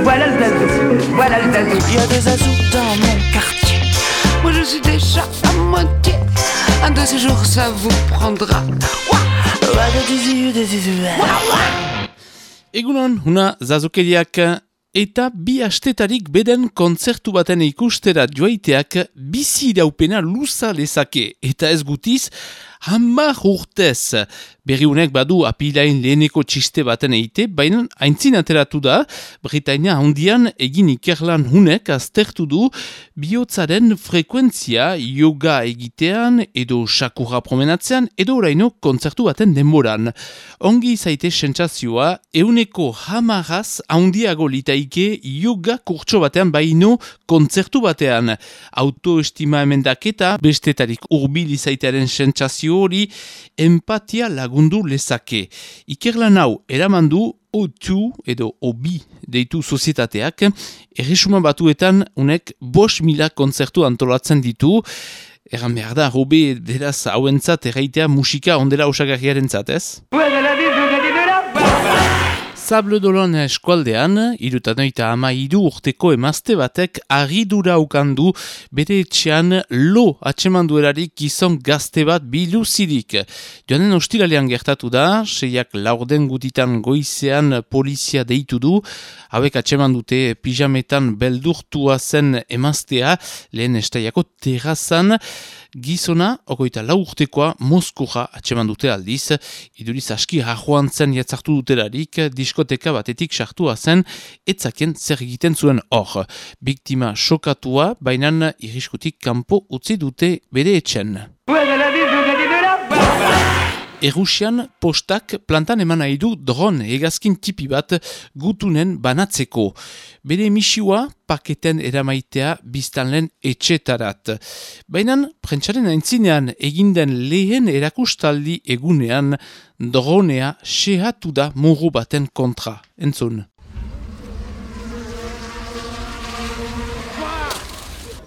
Voilà le zazou, voilà le zazou. Il y a des zazous dans mon quartier. Moi je suis déjà à moitié. Un de ces jours ça vous prendra. Egunon, huna zazukeriak eta bi astetarik beden kontzertu baten ikustera joaiteak bizi iraupena luza lezake eta ez gutiz 10 urtez. Berriunek badu apilain leheneko txiste baten eite, baina aintzin ateratu da, Britainia handian egin ikerlan hunek aztertu du bihotzaren frekuentzia yoga egitean edo sakurra promenatzean edo oraino kontzertu baten denboran. Ongi zaite sentsazioa, 110 handiago litaike yoga kurtso batean baino kontzertu batean. Autoestima emendaketa, bestetarik hurbil izaitearen sentsazio hori, empatia lagundu lezake. Ikerlan hau eramandu O2 edo OBI deitu sozietateak, erresuma batuetan unek 5.000 kontzertu antolatzen ditu. Erran behar da, hobe deraz hauentzat erraitea musika ondela osagarriaren zatez? Sable d'Olonne eskualdean, 73 urteko emazte batek harridura ukandu bere etxean lo atxemanduerarik gizon gazte bat biluzirik. Joanen ostiralean gertatu da, 6 laurden gutitan goizean polizia deitu du, hauek atxemandute pijametan beldurtua zen emaztea, lehen estaiako terrazan, gizona, 24 urtekoa, Moskura atxeman dute aldiz, iduriz aski hajoan zen jatzartu dutelarik, diskoteka batetik sartua zen, etzakien zer egiten zuen hor. Biktima xokatua, bainan irriskutik kanpo utzi dute bere etxen. Errusian postak plantan eman nahi du drone hegazkin tipi bat gutunen banatzeko. Bere misioa paketen eramaitea biztanlen etxetarat. Baina prentsaren aintzinean eginden lehen erakustaldi egunean dronea xehatu da muru baten kontra. Entzun.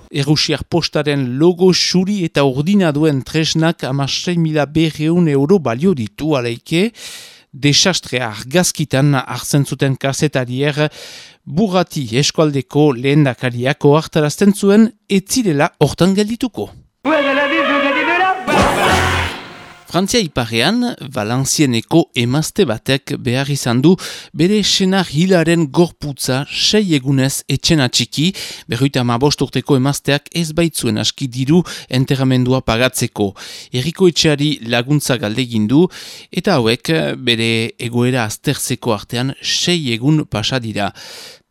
Errusiar postaren logo xuri eta urdina duen tresnak 16.200 euro balio ditu aleike. Desastrea argazkitan hartzen zuten kazetarier Burrati eskualdeko lehendakariako hartarazten zuen etzirela hortan geldituko. Frantzia iparean, Valencieneko emazte batek behar izan du bere senar hilaren gorputza 6 egunez etxen atxiki, 55 urteko emazteak ez baitzuen aski diru enterramendua pagatzeko. Herriko etxeari laguntza galdegin du, eta hauek bere egoera azterzeko artean 6 egun pasa dira.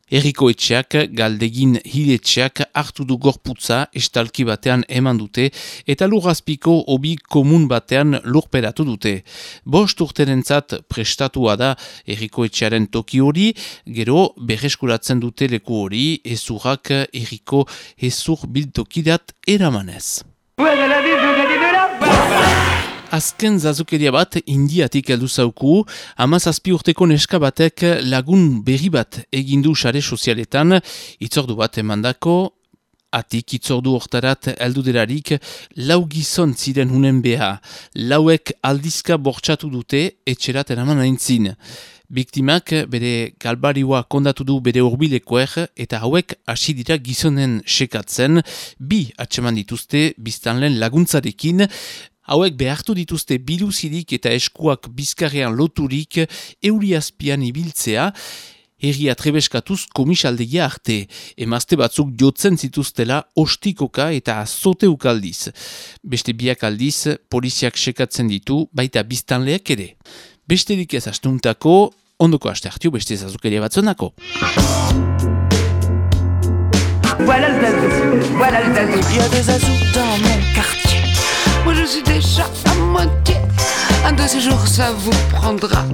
Herriko etxeak, galdegin hiletxeak hartu du gorputza estalki batean eman dute eta lurrazpiko hobi komun batean lurperatu dute. 5 urterentzat prestatua da herriko etxearen toki hori, gero berreskuratzen dute leku hori ezurrak herriko hezur biltokidat eramanez. Azken zazukeria bat Indiatik heldu zauku, 17 urteko neska batek lagun berri bat egindu sare sozialetan, itzordu bat emandako, atik itzordu hortarat heldu delarik, 4 gizon ziren hunen beha, 4ek aldizka bortxatu dute etxerat eraman aintzin. Biktimak bere galbarioa kondatu du bere hurbilekoer eta hauek hasi dira gizonen sekatzen, 2 atxeman dituzte biztanlen laguntzarekin. Hauek behartu dituzte biluzirik eta eskuak bizkarrean loturik euri azpian ibiltzea, herria trebeskatuz komisaldegia arte. Emazte batzuk jotzen zituztela ostikoka eta azoteuk aldiz. Beste 2 aldiz poliziak sekatzen ditu, baita biztanleak ere. Besterik ez astuntako, ondoko aste hartio beste zazukeria batzonako. Voilà le zazou, voilà le zazou. Il y a des zazous dans mon quartier. Moi je suis déjà à moitié. Un de ces jours ça vous prendra.